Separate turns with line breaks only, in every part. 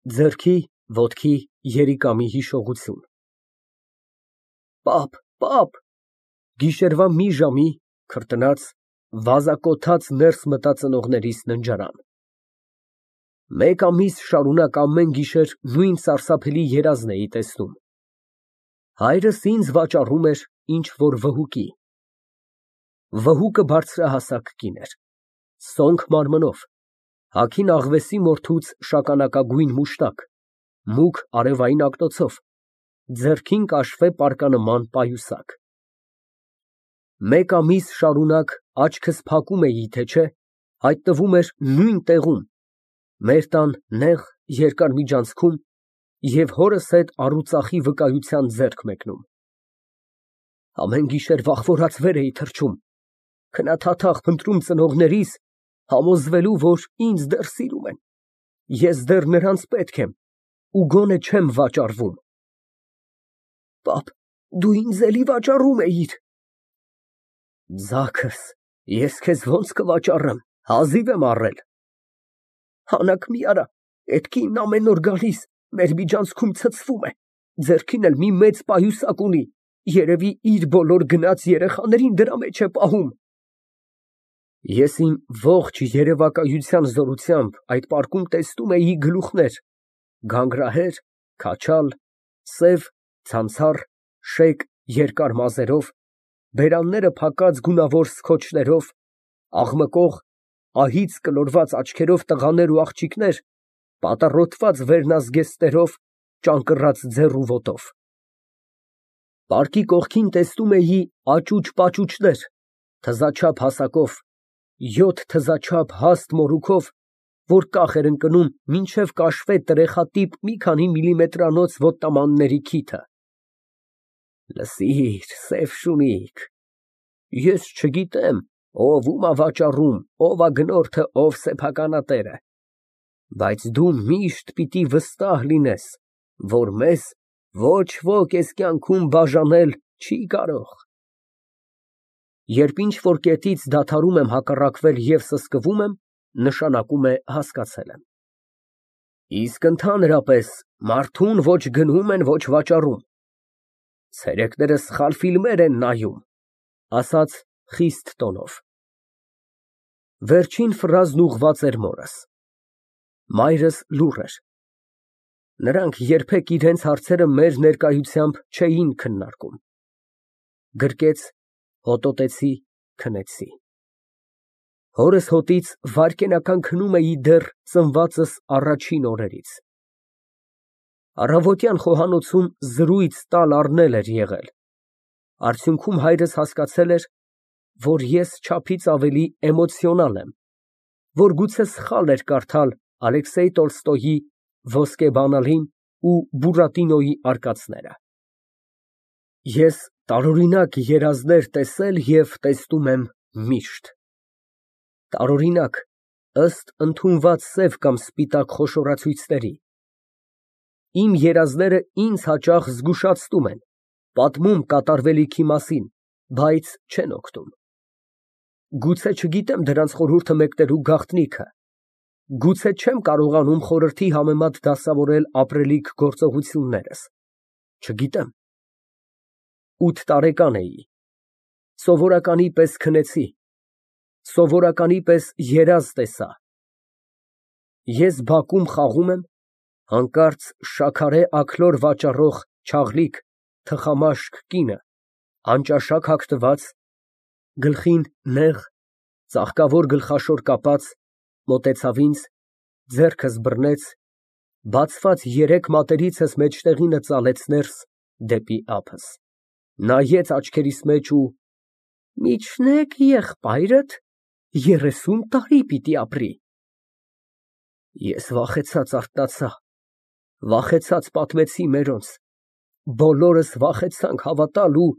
Ձեռքի, ոտքի, երիկամի հիշողություն։ Պապ, գիշերվա մի ժամի քրտնած, վազակոթած ներս մտա ծնողներիս ննջարան։ Մեկ ամիս շարունակ ամեն գիշեր նույն սարսափելի երազն էի տեսնում։ Հայրս ինձ վաճառում էր ինչ֊որ վհուկի։ Վհուկը բարձրահասակ կին էր, սոնք մարմնով, հագին աղվեսի մորթուց շագանակագույն մուշտակ, մուգ արևային ակտոցով, ձեռքին կաշվե պարկանման պայուսակ։ Մեկ ամիս շարունակ աչքս փակում էի, թե չէ, հայտնվում էր նույն տեղում, մեր տան նեղ, երկար միջանցքում և հորս հետ առուծախի վկայության ձեռք մեկնում։ Ամեն գիշեր վախվորած վեր էի թռչում, քնաթաթախ փնտրում ծնողներիս, համոզվելու, որ ինձ դեռ սիրում են, ես դեռ նրանց պետք եմ ու գոնե չեմ վաճառվում։ Պապ, դու ինձ էլի վաճառում էիր։ Ձագս, ես քեզ ոնց կվաճառեմ, հազիվ եմ առել։ Հանաք մի արա, էդ կինն ամեն օր գալիս, մեր միջանցքում ցցվում է, ձեռքին էլ մի մեծ պայուսակ ունի, երևի իր բոլոր գնած երեխաներին դրա մեջ է պահում։ Ես իմ ողջ երևակայության զորությամբ այդ պարկում տեսնում էի գլուխներ, գանգրահեր, քաչալ, սև, ցանցառ, շեկ երկար մազերով, բերանները փակած գունավոր սքոչներով, աղմկող, ահից կլորված աչքերով տղաներ ու աղջիկներ, պատառոտված վերնազգեստներով, ճանկռած ձեռ ու ոտով։ Պարկի կողքին տեսնում էի աճուճ֊պաճուճներ, թզաչափ հասակով, 7 թզաչափ հաստ մորուքով, որ կախ էր ընկնում մինչև կաշվե տրեխատիպ մի քանի միլիմետրանոց ոտնամանների քիթը։ Լսիր, սև շունիկ, ես չգիտեմ ով ում ա վաճառում, ով ա գնորդը, ով սեփականատերը, բայց դու միշտ պիտի վստահ լինես, որ մեզ ոչ ոք էս կյանքում բաժանել չի կարող։ Երբ ինչ֊որ կետից դադարում եմ հակառակվել և սսկվում եմ, նշանակում է հասկացել եմ։ Իսկ ընդհանրապես մարդուն ոչ գնում են, ոչ վաճառում։ Ցերեկները սխալ ֆիլմեր են նայում, ասաց խիստ տոնով։ Վերջին ֆրազն ուղղված էր մորս։ Մայրս լուռ էր։ Նրանք երբեք իրենց հարցերը մեր ներկայությամբ չէին քննարկում։ Գրկեց, հոտոտեցի, քնեցի։ Հորս հոտից վայրկենական քնում էի դեռ ծնվածս առաջին օրերից։ Առավոտյան խոհանոցում զրույց տալ֊առնել էր եղել։ Արդյունքում հայրս հասկացել էր, որ ես չափից ավելի էմոցիոնալ եմ, որ գուցե սխալ էր կարդալ Ալեքսեյ Տոլստոյի Ոսկե բանալին ու Բուրատինոյի արկածները։ Ես տարօրինակ երազներ տեսել և տեսնում եմ միշտ։ Տարօրինակ, ըստ ընդունված սև կամ սպիտակ խոշորացույցների։ Իմ երազները ինձ հաճախ զգուշացնում են, պատմում կատարվելիքի մասին, բայց չեն օգնում։ Գուցե չգիտեմ դրանց խորհուրդը մեկնելու գաղտնիքը, գուցե չեմ կարողանում խորհրդի համեմատ դասավորել ապրելիք գործողություններս, չգիտեմ։ 8 տարեկան էի, սովորականի պես քնեցի, սովորականի պես երազ տեսա։ Ես բակում խաղում եմ, հանկարծ շաքարե աքլոր վաճառող չաղլիկ, թխամաշկ կինը, անճաշակ հագնված, գլխին նեղ, ծաղկավոր գլխաշոր կապած, մոտեցավ ինձ, ձեռքս բռնեց, բացված երեք մատերիցս մեջտեղինը ծալեց ներս դեպի ափս, նայեց աչքերիս մեջ ու Միջնե՞ք եղբայրդ 30 տարի պիտի ապրի։ Ես վախեցած արթնացա, վախեցած պատմեցի մերոնց, բոլորս վախեցանք հավատալ ու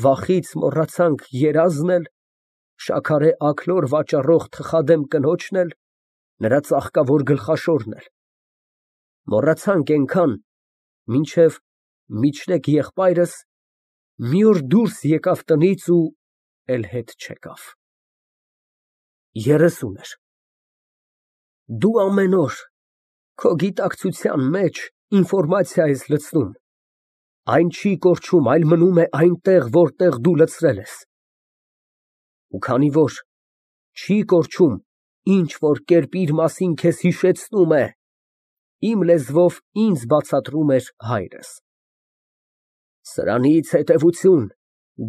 վախից մոռացանք երազն էլ, շաքարե աքլոր վաճառող թխադեմ կնոջն էլ, նրա ծաղկավոր գլխաշորն էլ, մոռացանք էնքան, մինչև միջնեկ եղբայրս մի օր դուրս եկավ տնից ու էլ հետ չեկավ։ 30 էր։ Դու ամեն օր, Քո գիտակցության մեջ ինֆորմացիա ես լցնում, այն չի կորչում, այլ մնում է այնտեղ, որտեղ դու լցրել ես։ Ու քանի որ չի կորչում, ինչ որ կերպ իր մասին քեզ հիշեցնում է, իմ լեզվով ինձ բացատրում էր հայրս։ Սրանից հետևություն,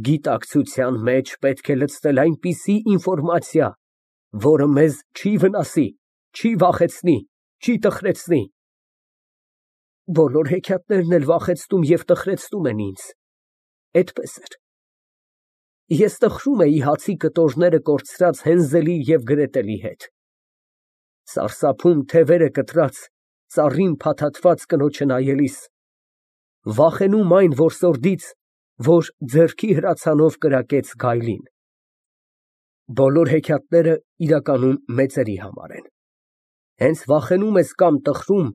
գիտակցության մեջ պետք է լցնել այնպիսի ինֆորմացիա, որը մեզ չի վնասի, չի վախեցնի, չի տխրեցնի։ Բոլոր հեքիաթներն էլ վախեցնում և տխրեցնում են ինձ, էդպես էր։ Ես տխրում էի հացի կտորները կորցրած Հենզելի և Գրետելի հետ, սարսափում թևերը կտրած, ծառին փաթաթված կնոջը նայելիս, վախենում այն որսորդից, որ ձեռքի հրացանով կրակեց գայլին։ Բոլոր հեքիաթները իրականում մեծերի համար են։ Հենց վախենում ես կամ տխրում,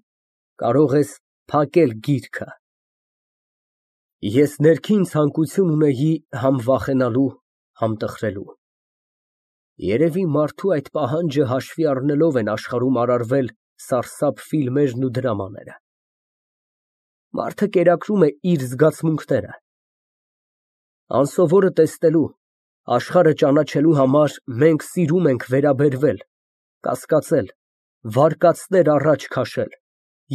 կարող ես փակել գիրքը։ Ես ներքին ցանկություն ունեի համ վախենալու, համ տխրելու։ Երևի մարդու այդ պահանջը հաշվի առնելով են աշխարհում արարվել սարսափ ֆիլմերն ու դրամաները։ Մարդը կերակրում է իր զգացմունքները։ Անսովորը տեսնելու, աշխարհը ճանաչելու համար մենք սիրում ենք վերաբերվել, կասկածել, վարկածներ առաջ քաշել,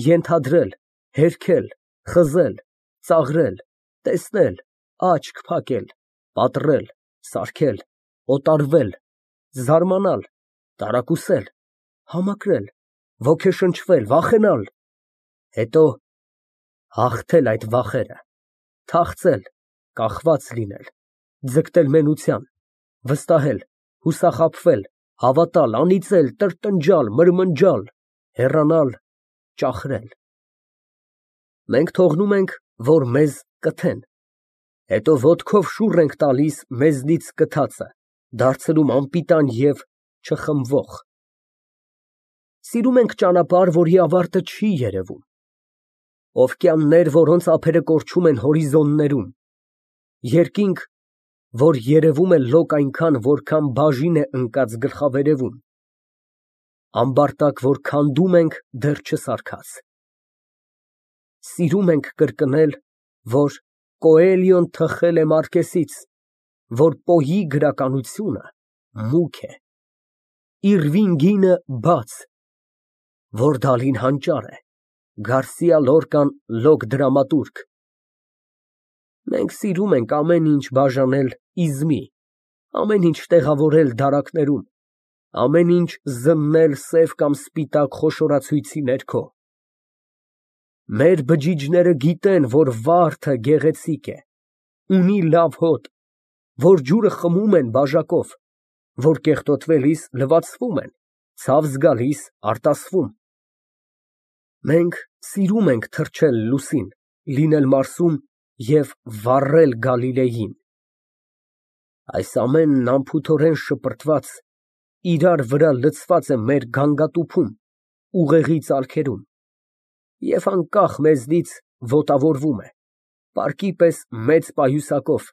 ենթադրել, հերքել, խզել, ծաղրել, տեսնել, աչք փակել, պատռել, սարքել, օտարվել, զարմանալ, տարակուսել, համակրել, ոգեշնչվել, վախենալ, հետո հաղթել այդ վախերը, թախծել, կախված լինել, ձգտել մենության, վստահել, հուսախաբվել, հավատալ, անիծել, տրտնջալ, մրմնջալ, հեռանալ, ճախրել։ Մենք թողնում ենք, որ մեզ կթեն, հետո ոտքով շուռ ենք տալիս մեզնից կթածը, դարձնում անպիտան և չխմվող։ Սիրում ենք ճանապարհ, որի ավարտը չի երևում, օվկիաններ, որոնց ափերը կորչում են հորիզոններում, երկինք, որ երևում է լոկ այնքան, որքան բաժին է ընկած գլխավերևում, ամբարտակ, որ քանդում ենք դեռ չսարքած։ Սիրում ենք կրկնել, որ Կոելյոն թխել է Մարկեսից, որ Պոյի գրականությունը մուգ է, Իրվին գինը բաց, որ Դալին հանճար է, Գարսիա Լորկան լոկ դրամատուրգ։ Մենք սիրում ենք ամեն ինչ բաժանել իզմի, ամեն ինչ տեղավորել դարակներում, ամեն ինչ զննել սև կամ սպիտակ խոշորացույցի ներքո։ Մեր բջիջները գիտեն, որ վարդը գեղեցիկ է, ունի լավ հոտ, որ ջուրը խմում են բաժակով, որ կեղտոտվելիս լվացվում են, ցավ զգալիս արտասվում։ Մենք սիրում ենք թռչել լուսին, լինել Մարսում և վառել Գալիլեյին։ Այս ամենն անփութորեն շպրտված, իրար վրա լցված է մեր գանգատուփում, ուղեղի ծալքերում և անկախ մեզնից ոտավորվում է, պարկի պես մեծ պայուսակով,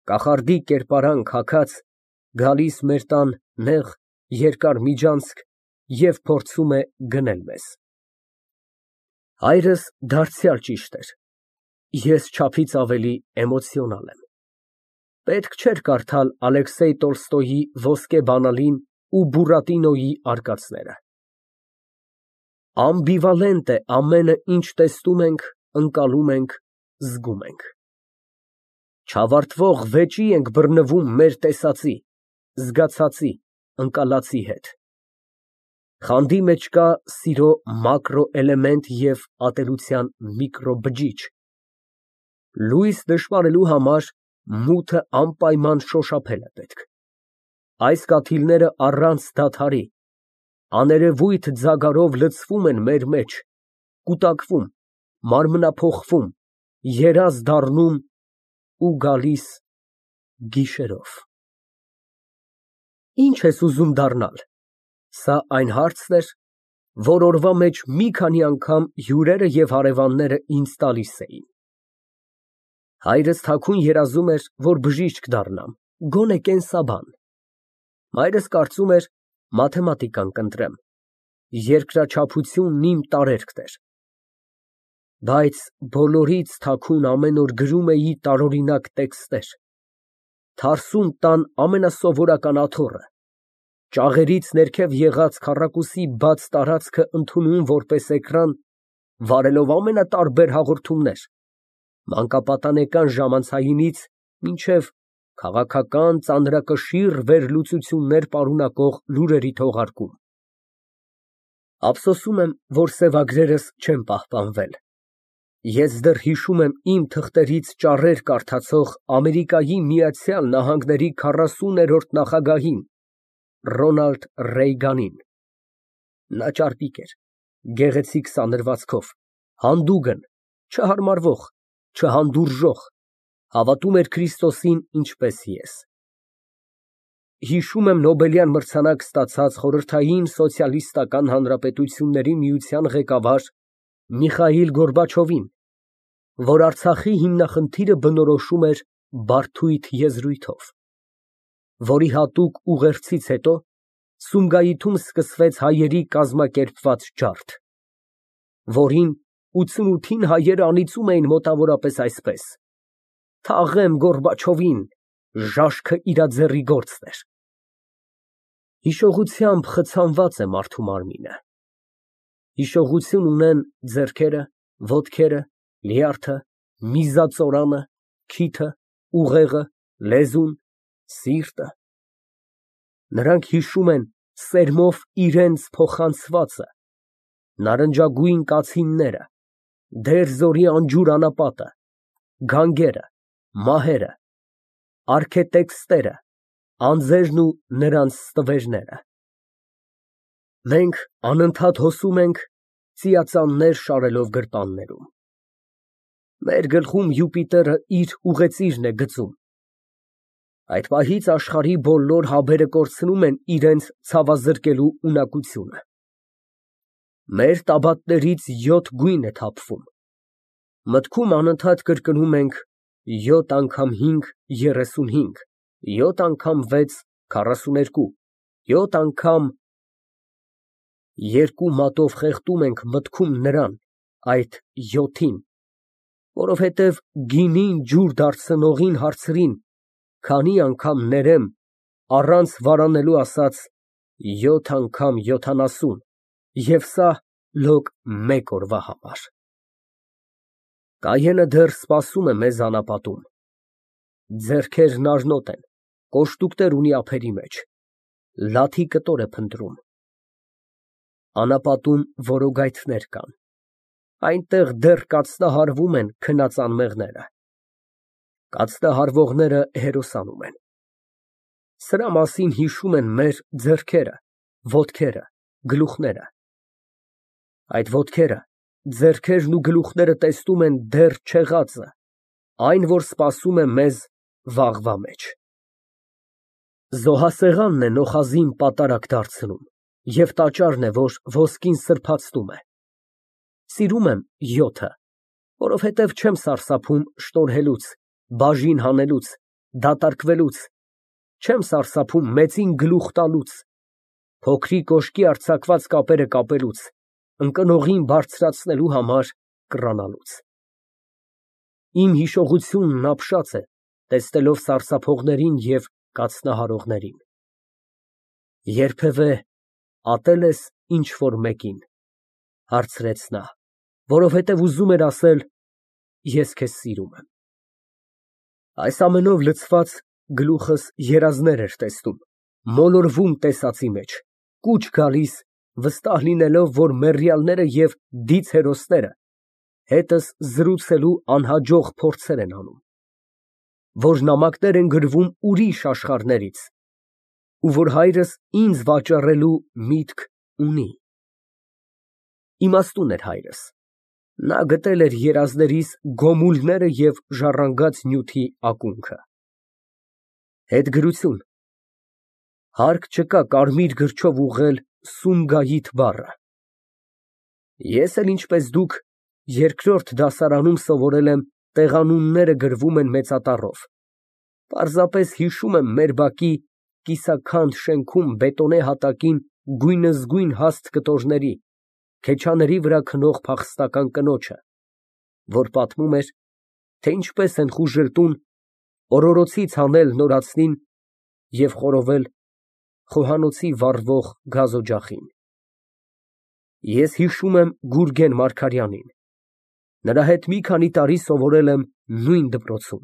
կախարդի կերպարանք հագած, գալիս մեր տան նեղ, երկար միջանցք և փորձում է գնել մեզ։ Հայրս դարձյալ ճիշտ էր, ես չափից ավելի էմոցիոնալ եմ։ Պետք չէր կարդալ Ալեքսեյ Տոլստոյի Ոսկե բանալին ու Բուրատինոյի արկածները։ Ամբիվալենտ է ամենը, ինչ տեսնում ենք, ընկալում ենք, զգում ենք։ Չավարտվող վեճի ենք բռնվում մեր տեսածի, զգացածի, ընկալածի հետ։ Խանդի մեջ կա սիրո մակրո էլեմենտ և ատելության միկրո բջիջ։ Լույս նշմարելու համար մութը անպայման շոշափել է պետք։ Այս կաթիլները առանց դադարի, աներևույթ ձագարով լցվում են մեր մեջ, կուտակվում, մարմնափոխվում, երազ դառնում ու գալիս գիշերով։ Ի՞նչ ես ուզում դառնալ։ Սա այն հարցն էր, որ օրվա մեջ մի քանի անգամ հյուրերը և հարևանները ինձ տալիս էին։ Հայրս թաքուն երազում էր, որ բժիշկ դառնամ, գոնե կենսաբան։ Մայրս կարծում էր՝ մաթեմատիկան կընտրեմ։ երկրաչափությունն իմ տարերքն էր, բայց բոլորից թաքուն ամեն օր գրում էի տարօրինակ տեքստեր, թարսում տան ամենասովորական աթոռը, ճաղերից ներքև եղած քառակուսի բաց տարածքը ընդունում որպես էկրան, վարելով ամենատարբեր հաղորդումներ, մանկապատանեկան ժամանցայինից մինչև քաղաքական ծանրակշիռ վերլուծություններ պարունակող լուրերի թողարկում։ Ափսոսում եմ, որ սևագրերս չեն պահպանվել։ Ես դեռ հիշում եմ իմ թղթերից ճառեր կարդացող Ամերիկայի Միացյալ Նահանգների 40-րդ նախագահին Ռոնալդ Ռեյգանին։ Նա ճարպիկ էր, գեղեցիկ սանրվածքով, հանդուգն, չհարմարվող, չհանդուրժող, հավատում էր Քրիստոսին ինչպես ես։ Հիշում եմ Նոբելյան մրցանակ ստացած Խորհրդային Սոցիալիստական Հանրապետությունների Միության ղեկավար Միխայիլ Գորբաչովին, որ Արցախի հիմնախնդիրը բնորոշում էր բարդույթ եզրույթով, որի հատուկ ուղերձից հետո Սումգայիթում սկսվեց հայերի կազմակերպված ջարդ, որին 88-ին հայերը անիծում էին մոտավորապես այսպես. «Թաղեմ Գորբաչովին, ժաշկը իրա ձեռի գործն էր»։ Հիշողությամբ խցանված է մարդու մարմինը, հիշողություն ունեն ձեռքերը, ոտքերը, լյարդը, միզածորանը, քիթը, ուղեղը, լեզուն, սիրտը։ Նրանք հիշում են սերմով իրենց փոխանցվածը, նարնջագույն կացինները, դեր զորի անջուր անապատը, գանգերը, մահերը, արքետեքստերը, անձերն ու նրանց ստվերները։ Մենք անընդհատ հոսում ենք ծիածաններ շարելով գրպաններում։ Մեր գլխում Յուպիտերը իր ուղեծիրն է գծում։ Այդ պահից աշխարհի բոլոր հաբերը կորցնում են իրենց ցավազրկելու ունակությունը։ Մեր տաբատներից 7 գույն է թափվում։ Մտքում անընդհատ կրկնում ենք 7 անգամ 5 35, 7 անգամ 6 42, 7 անգամ երկու մատով խեղդում ենք մտքում նրան, այդ 7-ին, որովհետև գինին ջուր դարձնողին հարցրին. «Քանի անգամ ներեմ» առանց վարանելու ասաց. «7 անգամ 70» և սա լոկ մեկ օրվա համար։ Կայենը դեռ սպասում է մեզ անապատում։ Ձեռքերն արնոտ են, կոշտուկներ ունի ափերի մեջ, լաթի կտոր է փնտրում։ Անապատում որոգայթներ կան, այնտեղ դեռ կաթնահարվում են քնած անմեղները։ Կաթնահարվողները հերոսանում են։ Սրա մասին հիշում են մեր ձեռքերը, ոտքերը, գլուխները։ Այդ ոտքերը, ձեռքերն ու գլուխները տեսնում են դեռ չեղածը, այն, որ սպասում է մեզ վաղվա մեջ։ Զոհասեղանն է նոխազին պատարագ դարձնում և տաճարն է, որ ոսկին սրբացնում է։ Սիրում եմ 7-ը, որովհետև չեմ սարսափում շտորհելուց, բաժին հանելուց, դատարկվելուց, չեմ սարսափում մեծին գլուխ տալուց, փոքրի կոշկի արձակված կապերը կապելուց, ընկնողին բարձրացնելու համար կռանալուց։ Իմ հիշողությունն ապշած է, տեսնելով սարսափողներին և կաթնահարողներին։ Երբևէ ատե՞լ ես ինչ֊որ մեկին, հարցրեց նա, որովհետև ուզում էր ասել. «Ես քեզ սիրում եմ»։ Այս ամենով լցված գլուխս երազներ էր տեսնում, մոլորվում տեսածի մեջ, կուչ գալիս, վստահ լինելով, որ մեռյալները և դիծ հերոսները հետս զրուցելու անհաջող փորձեր են անում, որ նամակներ են գրվում ուրիշ աշխարհներից, ու որ հայրս ինձ վաճառելու միտք ունի։ Իմաստուն էր հայրս։ Նա գտել էր երազներիս գոմուլները և ժառանգած նյութի ակունքը։ Հետգրություն։ Հարկ չկա կարմիր գրչով ուղղել Սումգայիթ բառը։ Ես էլ ինչպես դուք երկրորդ դասարանում սովորել եմ տեղանունները գրվում են մեծատառով, պարզապես հիշում եմ մեր բակի կիսաքանդ շենքում բետոնե հատակին գույնզգույն հաստ կտորների, քեչաների վրա քնող փախստական կնոջը, որ պատմում էր, թե ինչպես են խուժել տուն օրորոցից հանել նորածնին և խորովել խոհանոցի վառվող գազօջախին։ Ես հիշում եմ Գուրգեն Մարգարյանին, նրա հետ մի քանի տարի սովորել եմ նույն դպրոցում։